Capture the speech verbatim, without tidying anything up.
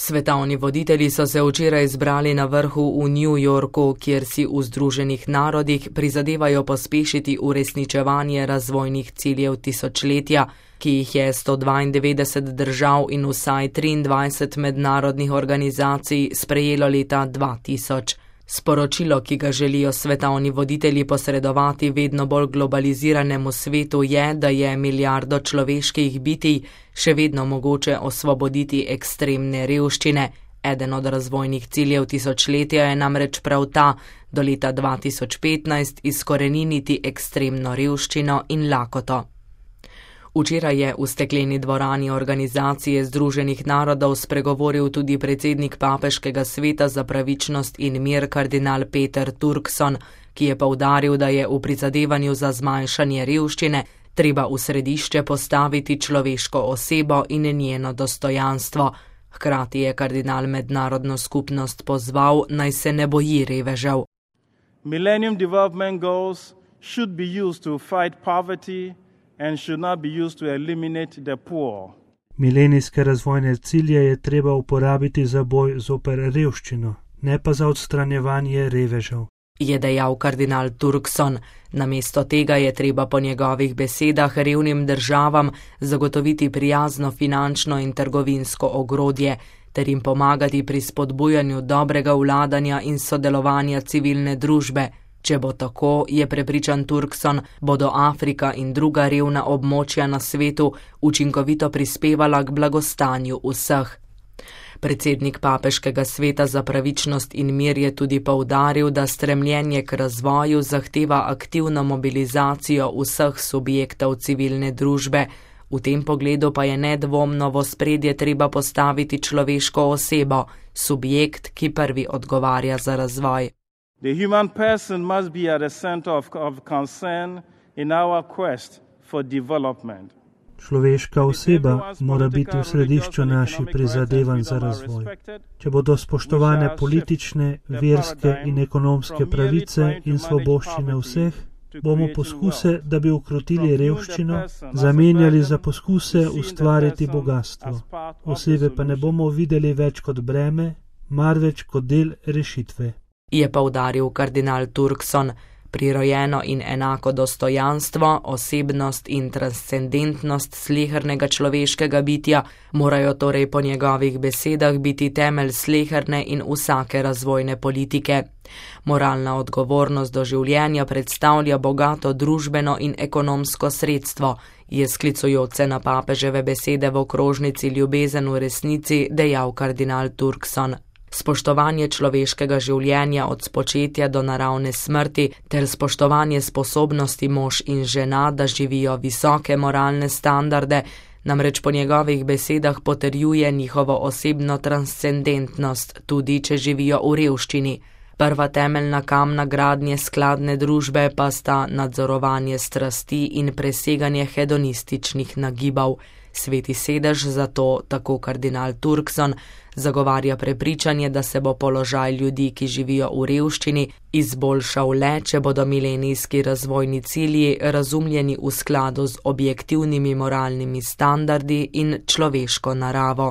Svetovni voditelji so se včeraj zbrali na vrhu v New Yorku, kjer si v Združenih narodih prizadevajo pospešiti uresničevanje razvojnih ciljev tisočletja, ki jih je sto dvaindevetdeset držav in vsaj triindvajset mednarodnih organizacij sprejelo leta dva tisoč. Sporočilo, ki ga želijo svetovni voditelji posredovati vedno bolj globaliziranemu svetu, je, da je milijardo človeških bitij še vedno mogoče osvoboditi ekstremne revščine. Eden od razvojnih ciljev tisočletja je namreč prav ta, do leta dva tisoč petnajst izkoreniniti ekstremno revščino in lakoto. Včeraj je v stekleni dvorani Organizacije Združenih narodov spregovoril tudi predsednik Papeškega sveta za pravičnost in mir kardinal Peter Turkson, ki je poudaril, da je v prizadevanju za zmanjšanje revščine treba v središče postaviti človeško osebo in njeno dostojanstvo. Hkrati je kardinal mednarodno skupnost pozval, naj se ne boji revežev. Millennium Development Goals should be used to fight poverty and should not be used to eliminate the poor. Milenijske razvojne cilje je treba uporabiti za boj zoper revščino, ne pa za odstranjevanje revežev, je dejal kardinal Turkson. Namesto tega je treba po njegovih besedah revnim državam zagotoviti prijazno finančno in trgovinsko ogrodje ter jim pomagati pri spodbujanju dobrega vladanja in sodelovanja civilne družbe. Če bo tako, je prepričan Turkson, bodo Afrika in druga revna območja na svetu učinkovito prispevala k blagostanju vseh. Predsednik Papeškega sveta za pravičnost in mir je tudi poudaril, da stremljenje k razvoju zahteva aktivno mobilizacijo vseh subjektov civilne družbe. V tem pogledu pa je nedvomno v ospredje treba postaviti človeško osebo, subjekt, ki prvi odgovarja za razvoj. The human person must be at the center of, of concern in our quest for development. Človeška oseba mora biti v središču naših prizadevanj za razvoj. Če bodo spoštovane politične, verske in ekonomske pravice in svoboščine vseh, bomo poskuse, da bi ukrotili revščino, zamenjali za poskuse ustvariti bogatstvo. Osebe pa ne bomo videli več kot breme, marveč kot del rešitve, je poudaril kardinal Turkson. Prirojeno in enako dostojanstvo, osebnost in transcendentnost slehernega človeškega bitja morajo torej po njegovih besedah biti temelj sleherne in vsake razvojne politike. Moralna odgovornost do življenja predstavlja bogato družbeno in ekonomsko sredstvo, je sklicujoč se na papeževe besede v okrožnici Ljubezen v resnici dejal kardinal Turkson. Spoštovanje človeškega življenja od spočetja do naravne smrti ter spoštovanje sposobnosti mož in žena, da živijo visoke moralne standarde, namreč po njegovih besedah potrjuje njihovo osebno transcendentnost, tudi če živijo v revščini. Prva temeljna kamna gradnje skladne družbe pa sta nadzorovanje strasti in preseganje hedonističnih nagibov. Sveti sedež zato, tako kardinal Turkson, zagovarja prepričanje, da se bo položaj ljudi, ki živijo v revščini, izboljšal le, če bodo milenijski razvojni cilji razumljeni v skladu z objektivnimi moralnimi standardi in človeško naravo.